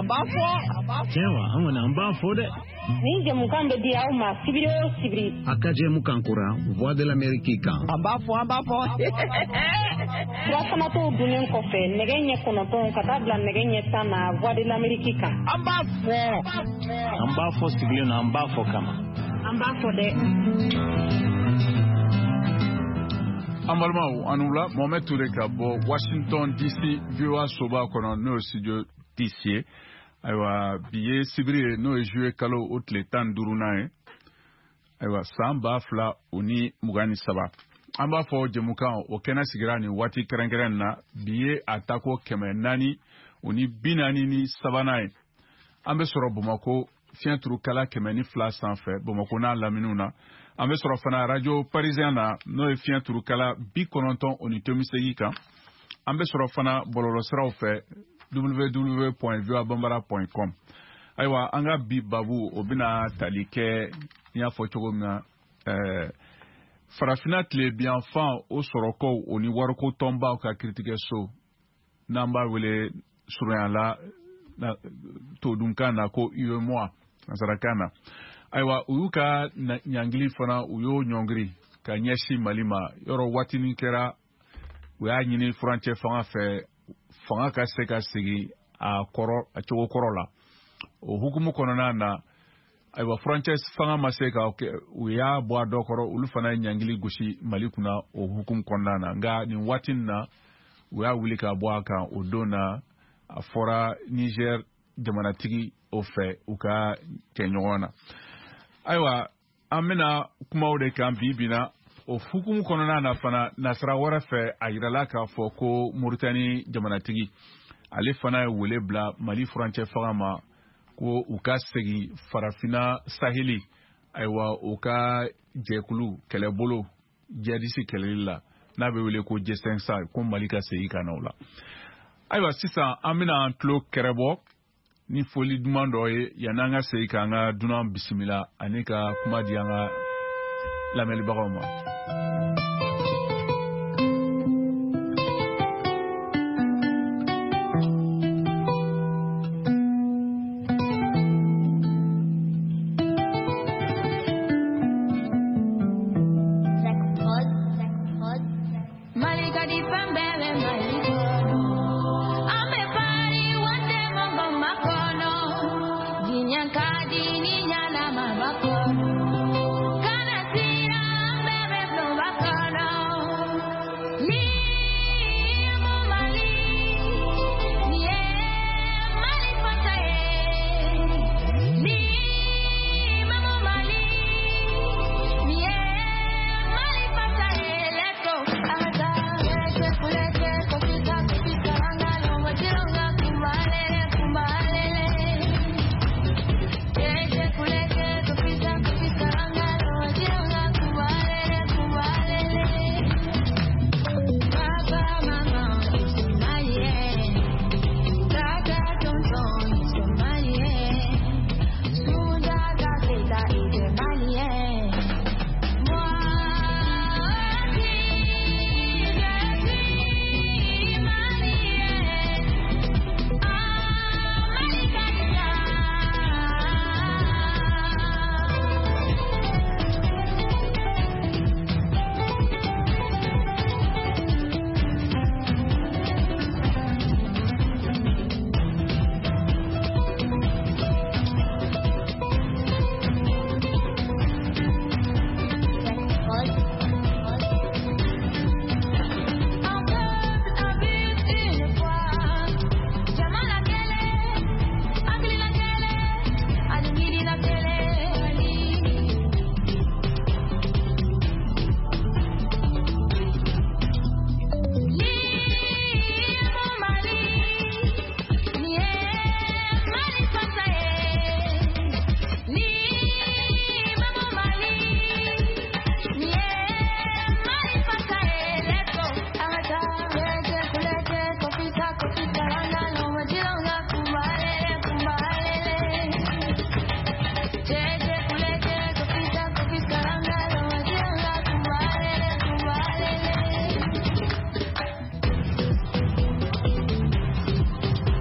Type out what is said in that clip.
An b'a fɔ. Tiɲɛ wa, an kɔni an b'a fɔ dɛ. Nin jɛmukan bɛ di aw ma sibiri o sibiri. A ka jɛmukan kura Voix de l'Amérique kan. An b'a fɔ, an b'a fɔ. Surafanatɔw dunnen kɔfɛ nɛgɛ ɲɛ 9 ka taa bila nɛgɛ ɲɛ 10 na Voix de l'Amérique kan. An b'a fɔ. An b'a fɔ sigilen na, an b'a fɔ kama. An b'a fɔ dɛ. An balimaw, an wula. Mohamed Toure ka bɔ Washington DC, VOA soba kɔnɔ, n'o ye studio DC ye. Ayiwa, bi ye sibiri ye, n'o ye juillet kalo o tile 15nan ye, ayiwa, san 2023. An b'a fɔ jɛmukan o kɛnɛ sigira nin waati kɛrɛnkɛrɛn na. Bi ye a tako 443nan ye. An bɛ sɔrɔ Bamakɔ fiɲɛ turukala 102 sanfɛ, Bamakɔ n'a laminiw na. An bɛ sɔrɔ fana Radio Parisien na, n'o ye fiɲɛ turukala 98.8 kan. An bɛ sɔrɔ fana bɔlɔlɔsiraw fɛ, www.voabambara.com. Ayiwa, an ka bi babu, o bɛna tali kɛ, n y'a fɔ cogo min na, Farafinna tilebinyanfan o sɔrɔkow, o ni wariko tɔnbaw ka kiritigɛso, n'an b'a wele surunya la todunkan na ko UEMOA nansarakan na. Ayiwa, u y'u ka ɲangili fana, u y'o ɲɔngiri ka ɲɛsin Mali ma. Yɔrɔ waatinin kɛra, u y'a ɲini furancɛ fanga fɛ, fanga ka se ka segin a kɔrɔ, a cogo kɔrɔ la. O hukumu kɔnɔna na, ayiwa, furancɛ fanga ma se ka kɛ, u y'a bɔ a dɔ kɔrɔ, olu fana ye ɲangili gosi Mali kunna o hukumu kɔnɔna na. Nka nin waati in na, u y'a wuli ka bɔ a kan. O don na, a fɔra Niger jamanatigi o fɛ, u ka kɛ ɲɔgɔn na. Ayiwa, an bɛna kumaw de kan bi bi na. O hukumu kɔnɔna na fana, nasira wɛrɛ fɛ, a yirala k'a fɔ ko Moritani jamanatigi, ale fana ye wele bila Mali furancɛ fanga ma ko u ka segin Farafinna saheli, ayiwa, u ka jɛkulu kɛlɛbolo jihadisi kɛlɛli la, n'a bɛ wele ko G5 Sahel, ko Mali ka segin ka na o la. Ayiwa, sisan an bɛna an tulo kɛrɛbɔ ni foli duman dɔ ye, yanni an ka segin k'an ka dunan bisimila ani ka kuma di an ka lamɛnibagaw ma.